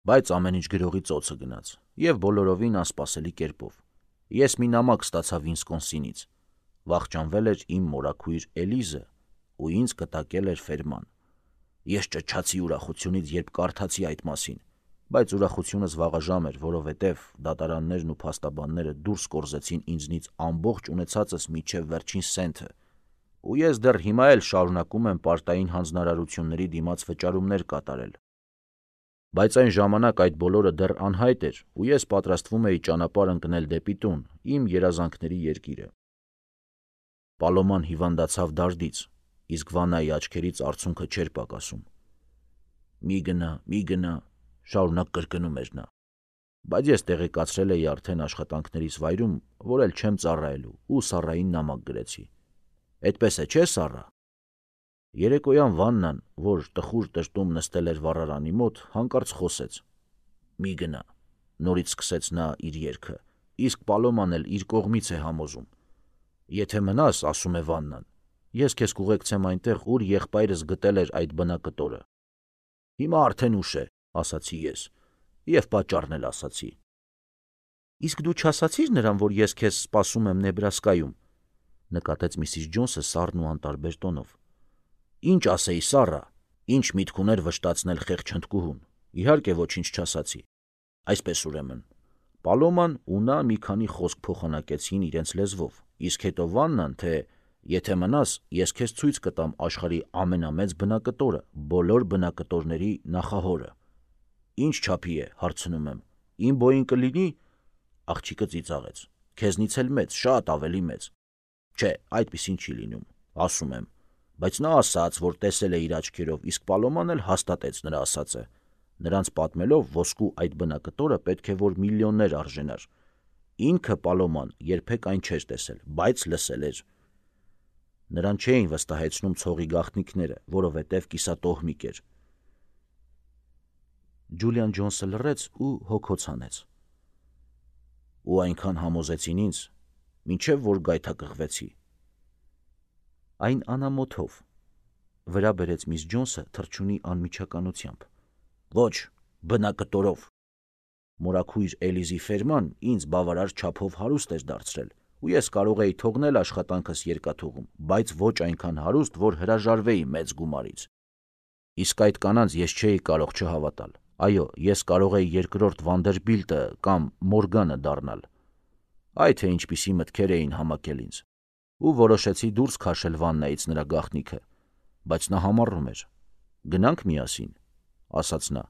Բայց ամեն ինչ գրողի ծոցը գնաց, եւ բոլորովին անսպասելի կերպով։ Ես մի նամակ ստացա Վինսկոնսինից, վախճանվել էր իմ մորաքույր Էլիզը ու ինձ կտակել էր ֆերման։ Ես ճչացի ուրախությունից, երբ կարդացի այդ մասին, բայց ուրախությունս վաղաժամ էր, որովհետև դատարաններն ու փաստաբանները դուրս կորզեցին ինձնից ամբողջ ունեցածս մինչև վերջին սենթը, ու ես դեռ հիմա էլ շարունակում եմ պարտային հանձնարարությունների դիմաց վճարումներ կատարել։ Բայց այն ժամանակ այդ բոլորը դեռ անհայտ էր, ու ես պատրաստվում էի ճանապարհ ընկնել դեպի տուն, իմ երազանքների երկիրը։ Պալոման հիվանդացավ դարդից, իսկ Վանայի աչքերից արցունքը չէր պակասում։ «Մի գնա», շարունակ կրկնում էր նա։ Բայց ես տեղեկացրել էի արդեն աշխատանքներիս վայրում, որ էլ չեմ ծառայելու, ու Սառային նամակ գրեցի։ «Էդպես է, չէ, Սառա»։ Երեկոյան Վաննան, որ տխուր տրտում նստել էր վառարանի մոտ, հանկարծ խոսեց. «Մի գնա», նորից սկսեց նա իր երգը, իսկ Պալոման էլ իր կողմից է համոզում։ «Եթե մնաս, ասում է Վաննան, ես քեզ կուղեկցեմ այնտեղ, ուր եղբայրս գտել էր այդ բնակտորը»։ «Հիմա արդեն ուշ է», ասացի ես, եւ պատճառն էլ ասացի։ «Իսկ դու չասացի՞ր նրան, որ ես քեզ սպասում եմ Նեբրասկայում», նկատեց Միսիս Ջոնսը սառն ու անտարբեր տոնով։ «Ինչ ասեի, Սառա, ինչ միտք ուներ վշտացնել խեղճ հնդկուհուն։ Իհարկե ոչինչ չասացի։ Այսպես ուրեմն»։ Պալոման ու նա մի քանի խոսք փոխանակեցին իրենց լեզվով, իսկ հետո Վաննան, թե «Եթե մնաս, ես քեզ ցույց կտամ աշխարհի ամենամեծ բնակտորը, բոլոր բնակտորների նախահորը»։ «Ինչ չափի է», հարցնում եմ, «իմ բոյին կլինի»։ Աղջիկը ծիծաղեց. «Քեզնից էլ մեծ, շատ ավելի մեծ»։ «Չէ, այդպիսին չի լինում», ասում եմ, բայց նա ասաց, որ տեսել է իր աչքերով, իսկ Պալոման էլ հաստատեց նրա ասածը։ Նրանց պատմելով, ոսկու այդ բնակտորը պետք է որ միլիոններ արժենար։ Ինքը Պալոման երբեք այն չէր տեսել, բայց լսել էր։ Նրան չէին վստահեցնում ցողի գաղտնիքները, որովհետև կիսատոհմիկ էր։ Ջուլիան Ջոնսը լռեց ու հոգոց հանեց։ «Ու այնքան համոզեցին ինձ, մինչև որ գայթակղվեցի»։ «Այն անամոթով», վրա բերեց միս Ջոնսը թռչունի անմիջականությամբ։ «Ոչ, բնակտորով։ Մորաքույր Էլիզի ֆերման ինձ բավարար չափով հարուստ էր դարձրել, ու ես կարող էի թողնել աշխատանքս երկաթուղում, բայց ոչ այնքան հարուստ, որ հրաժարվեի մեծ գումարից։ Իսկ այդ կանանց ես չէի կարող չհավատալ։ Այո, ես կարող էի երկրորդ Վանդերբիլտը կամ Մորգանը դառնալ։ Այ թե ինչպիսի մտքեր էին համակել ինձ։ Ու որոշեցի դուրս քաշել Վաննայից նրա գաղտնիքը, բայց նա համառում էր։ «Գնանք միասին», ասաց նա։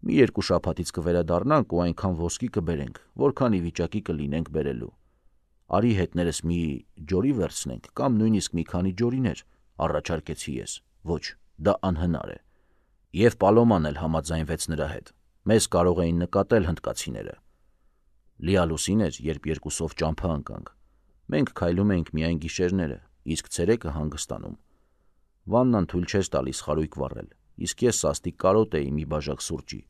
«Մի երկու շաբաթից կվերադառնանք ու այնքան ոսկի կբերենք, որքան ի վիճակի կլինենք բերելու։ Արի հետներս մի ջորի վերցնենք կամ նույնիսկ մի քանի ջորիներ», առաջարկեցի ես։ «Ոչ, դա անհնար է»։ Եվ Պալոման էլ համաձայնվեց նրա հետ։ Մեզ կարող էին նկատել հնդկացիները։ Լիալուսին էր, երբ երկուսով ճամփա ընկանք։ Մենք քայլում էինք միայն գիշերները, իսկ ցերեկը հանգստանում։ Վաննան թույլ չէր տալիս խարույկ վառել, իսկ ես սաստիկ կարոտ էի մի բաժակ սուրճի։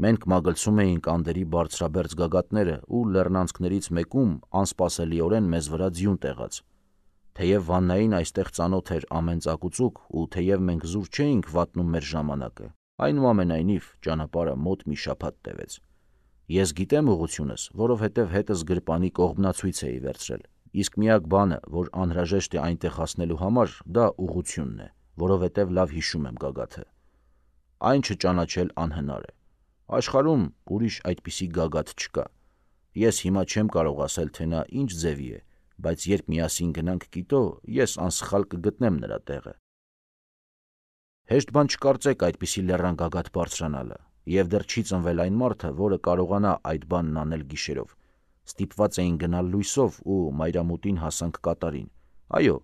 Մենք մագլցում էինք անդերի բարձրաբերձ գագաթները ու լեռնանցքներից մեկում անսպասելիորեն մեզ վրա ձյուն տեղաց։ Թեև Վաննային այստեղ ծանոթ էր ամեն ծակուծուկ ու թեև մենք զուր չէինք վատնում մեր ժամանակը, այնուամենայնիվ ճանապարհը մոտ մի շաբաթ տևեց։ Ես գիտեմ ուղղությունս, որովհետև հետս գրպանի կողմնացույց էի վերցրել, իսկ միակ բանը, որ անհրաժեշտ է այնտեղ հասնելու համար, դա ուղղությունն է, որովհետև լավ հիշում եմ գագաթը։ Այն չճանաչել անհնար է։ Աշխարհում ուրիշ այդպիսի գագաթ չկա։ Ես հիմա չեմ կարող ասել, թե նա ինչ ձևի է, բայց երբ միասին գնանք Կիտո, ես անսխալ կգտնեմ նրա տեղը։ Հեշտ բան չկարծեք այդպիսի լեռան գագաթ բարձրանալը, եւ դեռ չի ծնվել այն մարդը, որը կարողանա այդ բանն անել գիշերով։ Ստիպված էին գնալ լույսով ու մայրամուտին հասանք կատարին։ Այո,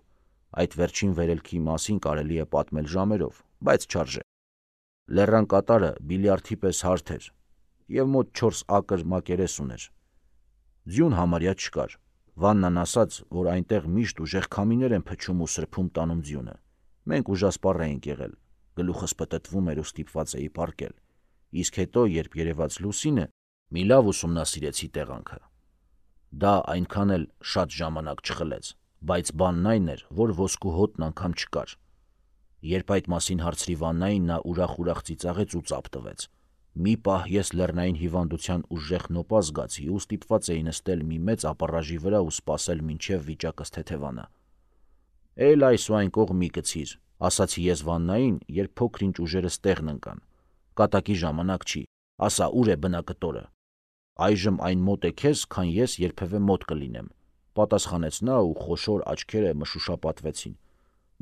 այդ վերջին վերելքի մասին կարելի է պատմել ժամերով, բայց չարժե։ Լեռան կատարը բիլիարդի պես հարթ էր եւ մոտ 4 ակր մակերես ուներ։ Ձյուն համարյա չկար։ Վաննան ասաց, որ այնտեղ միշտ ուժեղ քամիներ են փչում ու սրբում տանում ձյունը։ Մենք ուժասպառ էինք եղել, գլուխս պտտվում էր ու ստիպված էի պառկել։ Իսկ հետո, երբ երևաց լուսինը, մի լավ ուսումնասիրեցի տեղանքը։ Դա այնքան էլ շատ ժամանակ չխլեց, բայց բանն այն էր, որ ոսկու հոտն անգամ չկար։ Երբ այդ մասին հարցրի Վաննային, նա ուրախ-ուրախ ծիծաղեց ու ծափ տվեց։ Մի պահ ես լեռնային հիվանդության ուժեղ նոպա զգացի ու ստիպված էի նստել մի մեծ ապառաժի վրա ու սպասել մինչև վիճակս թեթևանա։ «Էլ այս ու այն կողմ մի գցիր», ասացի ես Վաննային, երբ փոքր-ինչ ուժերս տեղն ընկան։ «Կատակի ժամանակ չի, ասա ուր է բնակտորը»։ «Այժմ այն մոտ է քեզ, քան ես երբևէ մոտ կլինեմ», պատասխանեց նա ու խոշոր աչքերը մշուշապատվեցին։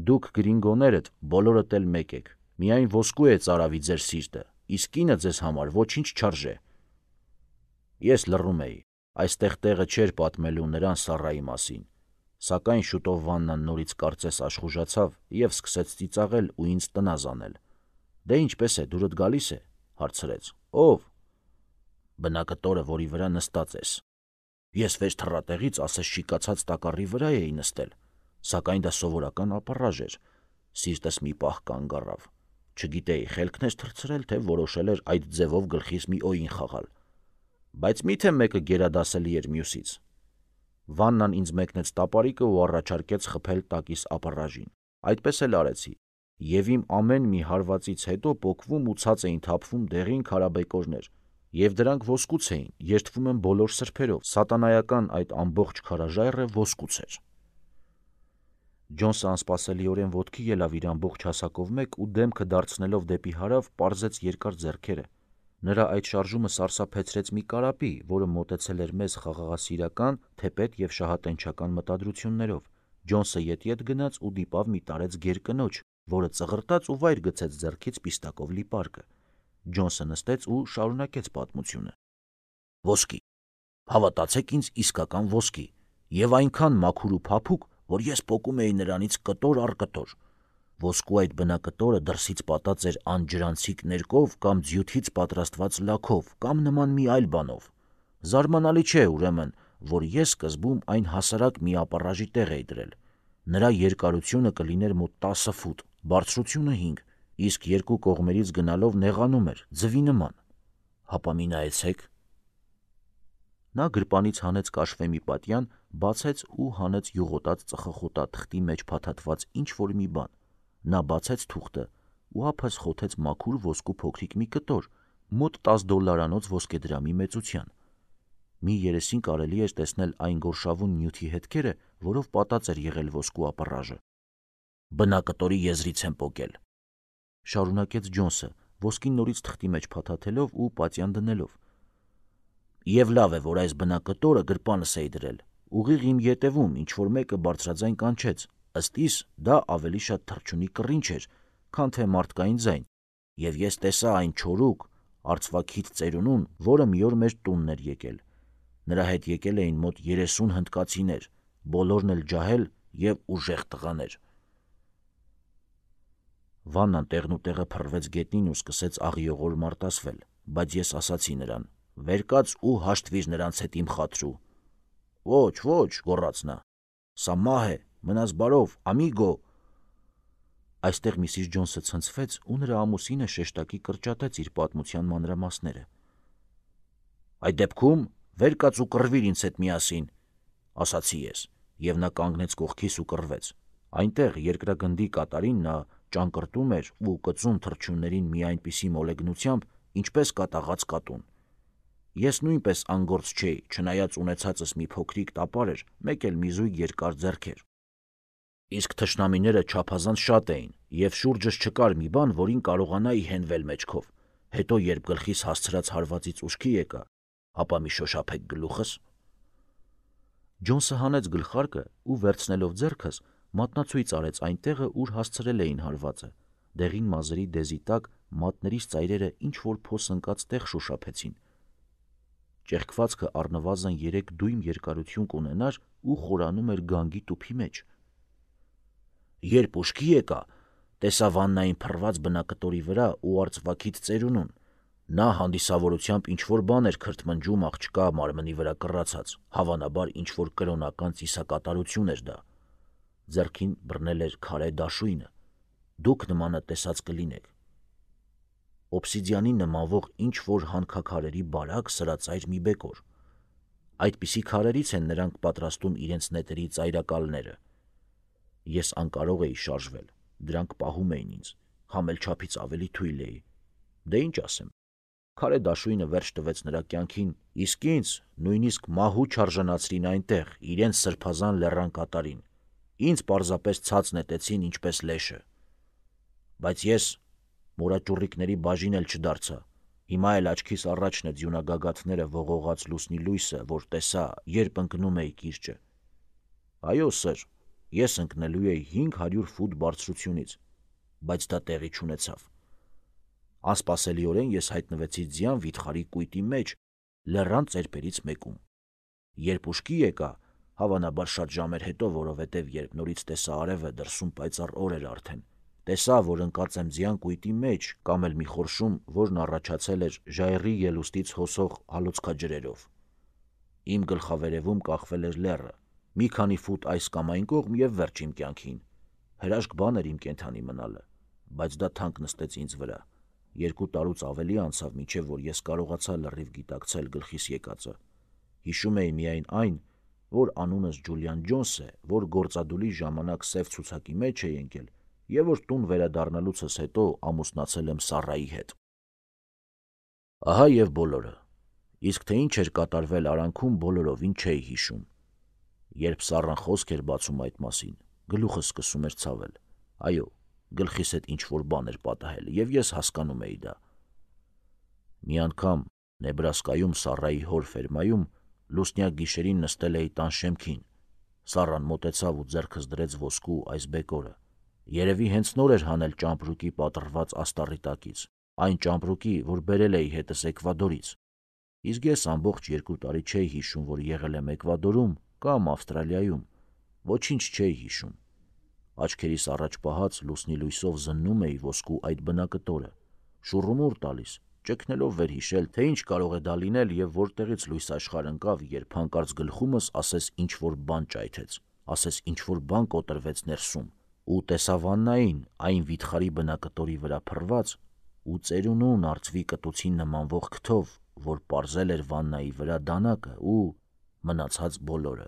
«Դուք գրինգոներդ բոլորդ էլ մեկ եք, միայն ոսկու է ծարավի ձեր սիրտը, իսկ կինը ձեզ համար ոչինչ չարժե»։ Ես լռում էի, այստեղ տեղը չէր պատմելու նրան Սառայի մասին, սակայն շուտով Վաննան նորից կարծես աշխուժացավ և սկսեց ծիծաղել ու ինձ տնազ անել։ «Դե ինչպես է, դուրդ գալի՞ս է», հարցրեց։ «Ո՞վ»։ «Բնակտորը, որի վրա նստած ես»։ Ես վեր թռատեղից ասես շիկացած տակառի վրա էի նստել, սակայն դա սովորական ապառաժ էր։ Սիրտս մի պահ կանգ առավ։ Չգիտեի խելքն էր թռցրել, թե որոշել էր այդ ձևով գլխիս մի օին խաղալ։ Բայց միթե մեկը գերադասելի էր մյուսից։ Վաննան ինձ մեկնեց տապարիկը ու առաջարկեց խփել տակիս ապառաժին։ Այդպես էլ արեցի, և իմ ամեն մի հարվածից հետո պոկվում ու ցած էին թափվում դեղին քարաբեկորներ, և դրանք ոսկուց էին, երդվում եմ բոլոր սրբերով, սատանայական այդ ամբողջ քարաժայռը ոսկուց էր։ Ջոնսը անսպասելիորեն ոտքի ելավ իր ամբողջ հասակով մեկ ու դեմքը դարձնելով դեպի հարավ պարզեց երկար ձեռքերը։ Նրա այդ շարժումը սարսափեցրեց մի կարապի, որը մոտեցել էր մեզ խաղաղասիրական, թեպետ և շահատենչական մտադրություններով։ Ջոնսը ետ գնաց ու դիպավ մի տարեց գեր կնոջ, որը ծղրտաց ու վայր գցեց ձեռքից պիստակով լի պարկը։ Ջոնսը նստեց ու շարունակեց պատմությունը։ Ոսկի, հավատացեք ինձ, իսկական ոսկի, և այնքան մաքուր ու փափուկ, որ ես պոկում էի նրանից կտոր առ կտոր։ Ոսկու այդ բնակտորը դրսից պատած էր անջրանցիկ ներկով կամ ձյութից պատրաստված լաքով կամ նման մի այլ բանով։ Զարմանալի չէ, ուրեմն, որ ես սկզբում այն հասարակ մի ապառաժի տեղ էի դրել։ Նրա երկարությունը կլիներ մոտ 10 ֆուտ, բարձրությունը 5, իսկ երկու կողմերից գնալով նեղանում էր, ձվի նման։ Հապա մի նայեցեք։ Նա գրպանից հանեց կաշվե մի պատյան, բացեց ու հանեց յուղոտած ծխախոտա թղթի մեջ փաթաթված ինչ-որ մի բան։ Նա բացեց թուղթը ու ափս խոթեց մաքուր ոսկու փոքրիկ մի կտոր, մոտ $10 ոսկեդրամի մեծության։ Մի երեսին կարելի էր տեսնել այն գորշավուն նյութի հետքերը, որով պատած էր եղել ոսկու ապառաժը։ «Բնակտորի եզրից եմ պոկել», շարունակեց Ջոնսը, ոսկին նորից թղթի մեջ փաթաթելով ու պատյան դնելով։ «Եվ լավ է, որ այս բնակտորը գրպանս էի դրել։ Ուղիղ իմ ետևում ինչ-որ մեկը բարձրաձայն կանչեց, ըստ իս դա ավելի շատ թռչունի կռինչ էր, քան թե մարդկային ձայն, և ես տեսա այն չորուկ, արծվաքիթ ծերունուն, որը մի օր մեր տունն էր եկել։ Նրա հետ եկել էին մոտ 30 հնդկացիներ, բոլորն էլ ջահել և ուժեղ տղաներ»։ Վաննան տեղնուտեղը փռվեց գետնին ու սկսեց աղիողոր մարտասվել, բայց ես ասացի նրան. «Վեր կաց ու հաշտվիր նրանց հետ իմ խաթրու»։ «Ոչ, ոչ», գոռաց նա, «սա մահ է, մնաս բարով, ամիգո»։ Այստեղ Միսիս Ջոնսը ցնցվեց ու նրա ամուսինը շեշտակի կրճատեց իր պատմության մանրամասները։ «Այդ դեպքում վեր կաց ու կռվիր ինձ հետ միասին», ասացի ես, և նա կանգնեց կողքիս ու կռվեց։ Այնտեղ երկրագնդի կատարին նա ճանկռտում էր ու կծում թռչուններին մի այնպիսի մոլեգնությամբ, ինչպես կատաղած կատուն։ Ես նույնպես անգործ չէի, չնայած ունեցածս մի փոքրիկ տապար էր, մեկ էլ մի զույգ երկար ձեռքեր։ Իսկ թշնամիները չափազանց շատ էին, և շուրջս չկար մի բան, որին կարողանայի հենվել մեջքով։ Հետո, երբ գլխիս հասցրած հարվածից ուշքի եկա, հապա մի շոշափեք գլուխս։ Ջոնսը հանեց գլխարկը ու, վերցնելով ձեռքս, մատնացույց արեց այն տեղը, ուր հասցրել էին հարվածը։ Դեղին մազերի դեզի տակ մատներիս ծայրերը ինչ-որ փոս ընկած տեղ շոշափեցին։ Ճեղքվածքը առնվազն 3 դույմ երկարություն կունենար ու խորանում էր գանգի տուփի մեջ։ Երբ ուշքի եկա, տեսա Վաննային փռված բնակտորի վրա ու արծվաքիթ ծերունուն։ Նա հանդիսավորությամբ ինչ-որ բան էր քրթմնջում աղջկա մարմնի վրա կռացած, հավանաբար ինչ-որ կրոնական ծիսակատարություն էր դա։ Ձեռքին բռնել էր քարե դաշույնը։ Դուք նմանը տեսած կլինեք։ Օբսիդիանին նմանվող ինչ-որ հանքաքարերի բարակ սրածայր մի բեկոր։ Այդպիսի քարերից են նրանք պատրաստում իրենց նետերի ծայրակալները։ Ես անկարող էի շարժվել, դրանք պահում էին ինձ, համ էլ չափից ավելի թույլ էի։ Դե ինչ ասեմ։ Քարե դաշույնը վերջ տվեց նրա կյանքին, իսկ ինձ նույնիսկ մահու չարժանացրին այնտեղ, իրենց սրբազան լեռան կատարին։ Ինձ պարզապես ցած նետեցին ինչպես լեշը։ Բայց ես մորաճուռիկների բաժին էլ չդարձա։ Հիմա էլ աչքիս առաջն է ձյունագագաթները ողողած լուսնի լույսը, որ տեսա, երբ ընկնում էի կիրճը։ Այո, սեր, ես ընկնելու էի 500 ֆուտ բարձրությունից, բայց դա տեղի չունեցավ։ Անսպասելիորեն ես հայտնվեցի ձյան վիթխարի կույտի մեջ, լեռան ծերպերից մեկում։ Երբ ուշքի եկա, հավանաբար շատ ժամեր հետո, որովհետև երբ նորից տեսա արևը, դրսում պայծառ օր էր արդեն, տեսա, որ ընկած եմ ձյան կույտի մեջ կամ էլ մի խորշում, որն առաջացել էր ժայռի ելուստից հոսող հալոցքաջրերով։ Իմ գլխավերևում կախվել էր լեռը, մի քանի ֆուտ այս կամ այն կողմ և վերջ իմ կյանքին։ Հրաշք բան էր իմ կենդանի մնալը, բայց դա թանկ նստեց ինձ վրա։ 2 տարուց ավելի անցավ, մինչև որ ես կարողացա լրիվ գիտակցել գլխիս եկածը։ Հիշում էի միայն այն, որ անունս Ջուլիան Ջոնս է, որ գործադուլի ժամանակ սև ցուցակի մեջ էի ընկել և որ տուն վերադառնալուցս հետո ամուսնացել եմ Սառայի հետ։ Ահա և բոլորը։ Իսկ թե ինչ էր կատարվել արանքում, բոլորովին չէի հիշում։ Երբ Սառան խոսք էր բացում այդ մասին, գլուխս սկսում էր ցավել։ Այո, գլխիս հետ ինչ-որ բան էր պատահել, և ես հասկանում էի դա։ Մի անգամ Նեբրասկայում Սառայի հոր ֆերմայում լուսնյակ գիշերին նստել էի տան շեմքին։ Սառան մոտեցավ ու ձեռքս դրեց ոսկու այս բեկորը։ Երևի հենց նոր էր հանել ճամպրուկի պատռված աստառի տակից, այն ճամպրուկի, որ բերել էի հետս Էկվադորից։ Իսկ ես ամբողջ 2 տարի չէի հիշում, որ եղել եմ Էկվադորում կամ Ավստրալիայում։ Ոչինչ չէի հիշում։ Աչքերիս առաջ պահած լուսնի լույսով զննում էի ոսկու այդ բնակտորը, շուռումուռ տալիս, ճգնելով վերհիշել, թե ինչ կարող է դա լինել և որտեղից լույս աշխարհ ընկավ, երբ հանկարծ գլխումս ասես ինչ-որ բան ճայթեց, ասես ինչ-որ բան կոտրվեց ներսում, ու տեսա վաննային այն վիթխարի բնակտորի վրա փռված ու ծերունուն արծվի կտուցին նմանվող քթով, որ պարզել էր վաննայի վրա դանակը ու մնացած բոլորը։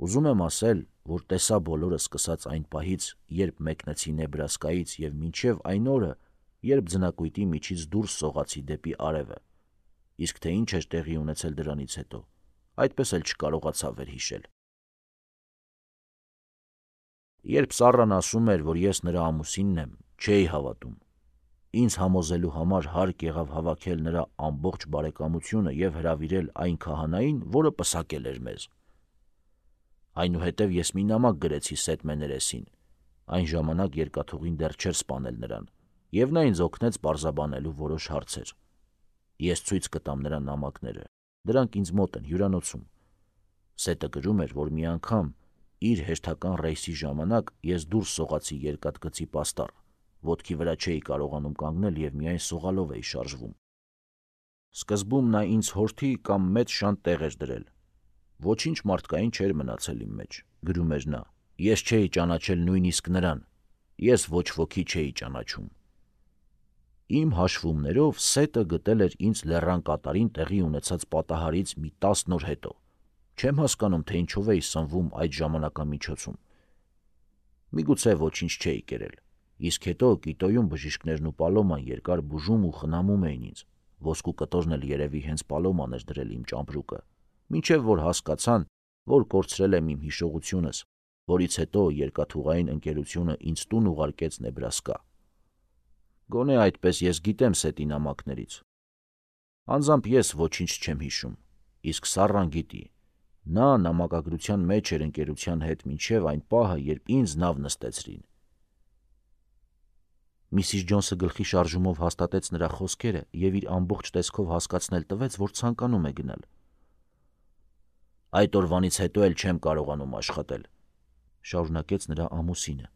Ուզում եմ ասել, որ տեսա բոլորը սկսած այն պահից, երբ մեկնեցի Նեբրասկայից և մինչև այն օրը, երբ ձնակույտի միջից դուրս սողացի դեպի արևը, իսկ թե ինչ էր տեղի ունեցել դրանից հետո, այդպես էլ չկարողացա վերհիշել։ Երբ Սառան ասում էր, որ ես նրա ամուսինն եմ, չէի հավատում։ Ինձ համոզելու համար հարկ եղավ հավաքել նրա ամբողջ բարեկամությունը և հրավիրել այն քահանային, որը պսակել էր մեզ։ Այնուհետև ես մի նամակ գրեցի Սեթ Մեներեսին, այն ժամանակ երկաթուղին դեռ չէր սպանել նրան, և նա ինձ օգնեց պարզաբանելու որոշ հարցեր։ Ես ցույց կտամ նրա նամակները, դրանք ինձ մոտ են հյուրանոցում։ Սետը գրում էր, որ մի անգամ իր հերթական ռեյսի ժամանակ ես դուրս սողացի երկաթգծի պաստառ, ոտքի վրա չէի կարողանում կանգնել և միայն սողալով էի շարժվում։ Սկզբում նա ինձ հորթի կամ մեծ շան տեղ էր դրել։ Ոչինչ մարդկային չէր մնացել իմ մեջ, գրում էր նա, ես չէի ճանաչել նույնիսկ նրան, ես ոչ ոքի չէի ճանաչում։ Իմ հաշվումներով Սետը գտել էր ինձ լեռան կատարին տեղի ունեցած պատահարից մի 10 օր հետո։ Չեմ հասկանում, թե ինչով էի սնվում այդ ժամանակամիջոցում։ Միգուցե ոչինչ չէի կերել, իսկ հետո Կիտոյում բժիշկներն ու Պալոման երկար բուժում ու խնամում էին ինձ, ոսկու կտորն էլ երևի հենց Պալոման էր դրել իմ ճամպրուկը, մինչև որ հասկացան, որ կորցրել եմ իմ հիշողությունս, որից հետո երկաթուղային ընկերությունը ինձ տուն ուղարկեց Նեբրասկա։ Գոնե այդպես ես գիտեմ Սետի նամակներից։ Անձամբ ես ոչինչ չեմ հիշում, իսկ Սառան գիտի։ Նա նամակագրության մեջ էր ընկերության հետ մինչև այն պահը, երբ ինձ նավ նստեցրին։ Միսիս Ջոնսը գլխի շարժումով հաստատեց նրա խոսքերը և իր ամբողջ տեսքով հասկացնել տվեց, որ ցանկանում է գնալ։ Այդ օրվանից հետո էլ չեմ կարողանում աշխատել, շարունակեց նրա ամուսինը։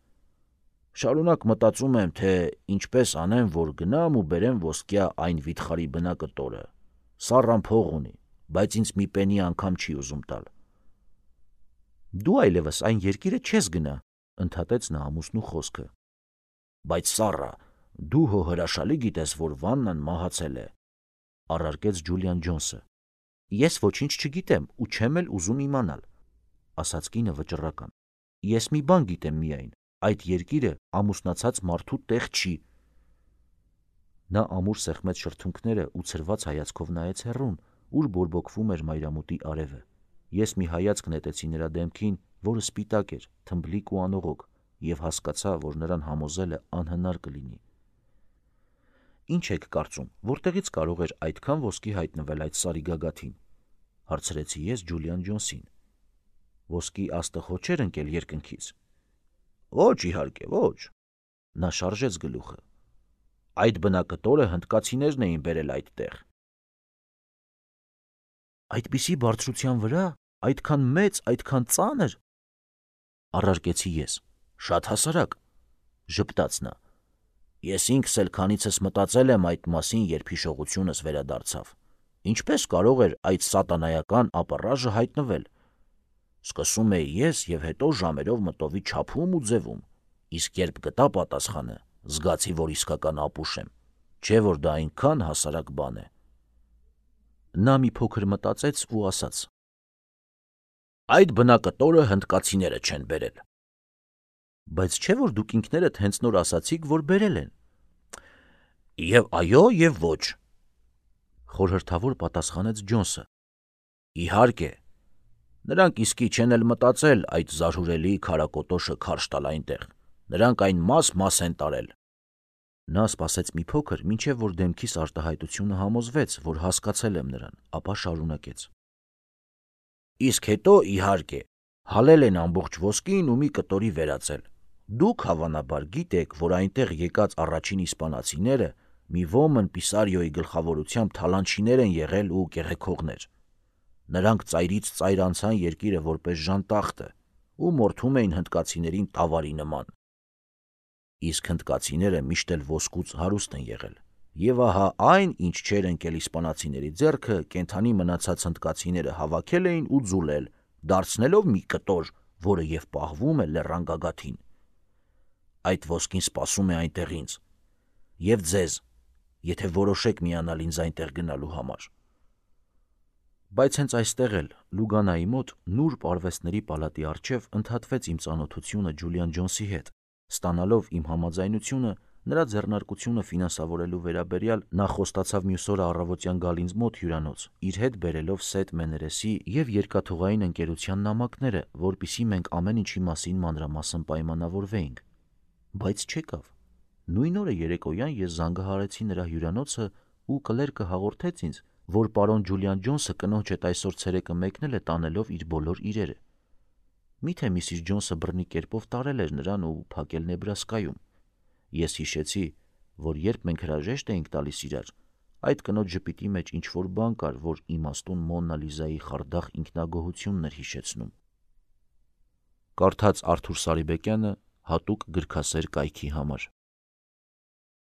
Շարունակ մտածում եմ, թե ինչպես անեմ, որ գնամ ու բերեմ ոսկյա այն վիթխարի բնակտորը։ Սառան փող ունի, բայց ինձ մի պենի անգամ չի ուզում տալ։ Դու այլևս այն երկիրը չես գնա, ընդհատեց նա ամուսնու խոսքը։ Բայց Սառա, դու հո հրաշալի գիտես, որ Վաննան մահացել է, առարկեց Ջուլիան Ջոնսը։ Ես ոչինչ չգիտեմ ու չեմ էլ ուզում իմանալ, ասաց կինը վճռական։ Ես մի բան գիտեմ միայն, այդ երկիրը ամուսնացած մարդու տեղ չի։ Նա ամուր սեղմեց շրթունքները ու ցրված հայացքով նայեց հեռուն, ուր բորբոքվում էր մայրամուտի արևը։ Ես մի հայացք նետեցի նրա դեմքին, որը սպիտակ էր, թմբլիկ ու անողոք, եւ հասկացա, որ նրան համոզելը անհնար կլինի։ «Ինչ եք կարծում, որտեղից կարող էր այդքան ոսկի հայտնվել այդ սարի գագաթին», հարցրեցի ես Ջուլիան Ջոնսին։ «Ոսկի աստղ հո չէր ընկել երկնքից»։ «Ոչ, իհարկե, ոչ»։ Նա շարժեց գլուխը։ «Այդ բնակտորը հնդկացիներն էին բերել այդտեղ»։ «Այդպիսի բարձրության վրա, այդքան մեծ, այդքան ծանր», առարկեցի ես։ «Շատ հասարակ», ժպտաց նա։ «Ես ինքս էլ քանիցս մտածել եմ այդ մասին, երբ հիշողությունս վերադարձավ։ Ինչպես կարող էր այդ սատանայական ապառաժը հայտնվել։ Սկսում էի ես եւ հետո ժամերով մտովի չափում ու ձևում, իսկ երբ գտա պատասխանը, զգացի, որ իսկական ապուշ եմ, չէ որ դա այնքան հասարակ բան է»։ Նա մի փոքր մտածեց ու ասաց. «Այդ բնակտորը հնդկացիները չեն բերել»։ «Բայց չէ որ դուք ինքներդ հենց նոր ասացիք, որ բերել են»։ «Եվ այո, եւ ոչ», խորհրդավոր պատասխանեց Ջոնսը։ «Իհարկե, նրանք իսկի չեն էլ մտածել այդ զարհուրելի քարակոտոշը քարշ տալ այնտեղ, նրանք այն մաս-մաս են տարել»։ Նա սպասեց մի փոքր, մինչև որ դեմքիս արտահայտությունը համոզվեց, որ հասկացել եմ նրան, ապա շարունակեց. «Իսկ հետո, իհարկե, հալել են ամբողջ ոսկին ու մի կտորի վերածել։ Դուք, հավանաբար, գիտեք, որ այնտեղ եկած առաջին իսպանացիները մի ոմն Պիսարիոյի գլխավորությամբ թալանչիներ են եղել ու կեղեքողներ։ Նրանք ծայրից ծայր անցան երկիրը որպես ժանտախտը ու մորթում էին հնդկացիներին տավարի նման։ Իսկ հնդկացիները միշտ էլ ոսկուց հարուստ են եղել։ Եվ ահա այն, ինչ չէր ընկել իսպանացիների ձեռքը, կենդանի մնացած հնդկացիները հավաքել էին ու ձուլել, դարձնելով մի կտոր, որը եւ պահվում է լեռան գագաթին։ Այդ ոսկին սպասում է այնտեղ ինձ եւ ձեզ, եթե որոշեք միանալ ինձ այնտեղ գնալու համար»։ Բայց հենց այստեղ էլ, Լուգանայի մոտ, նուրբ արվեստների պալատի առջև ընդհատվեց իմ ծանոթությունը Ջուլիան Ջոնսի հետ, ստանալով իմ համաձայնությունը նրա ձեռնարկությունը ֆինանսավորելու վերաբերյալ, նա խոստացավ մյուս օրը առավոտյան գալ ինձ մոտ հյուրանոց, իր հետ բերելով Սեթ Մեներեսի եւ երկաթուղային ընկերության նամակները, որպեսզի մենք ամեն ինչի մասին մանրամասն պայմանավորվեինք։ Բայց չեկավ։ Նույն օրը երեկոյան ես զանգահարեցի նրա հյուրանոցը ու կլերկը հաղորդեց ինձ, որ պարոն Ջուլիան Ջոնսը կնոջ հետ այսօր ցերեկը մեկնել է տանելով իր բոլոր իրերը։ Միթե Միսիս Ջոնսը բռնի կերպով տարել էր նրան ու փակել Նեբրասկայում։ Ես հիշեցի, որ երբ մենք հրաժեշտ էինք տալիս իրար, այդ կնոջ ժպիտի մեջ ինչ-որ բան կար, որ իմաստուն Մոննա Լիզայի խարդախ ինքնագոհությունն էր հիշեցնում։ Կարդաց Արթուր Սարիբեկյանը հատուկ գրքասեր կայքի համար։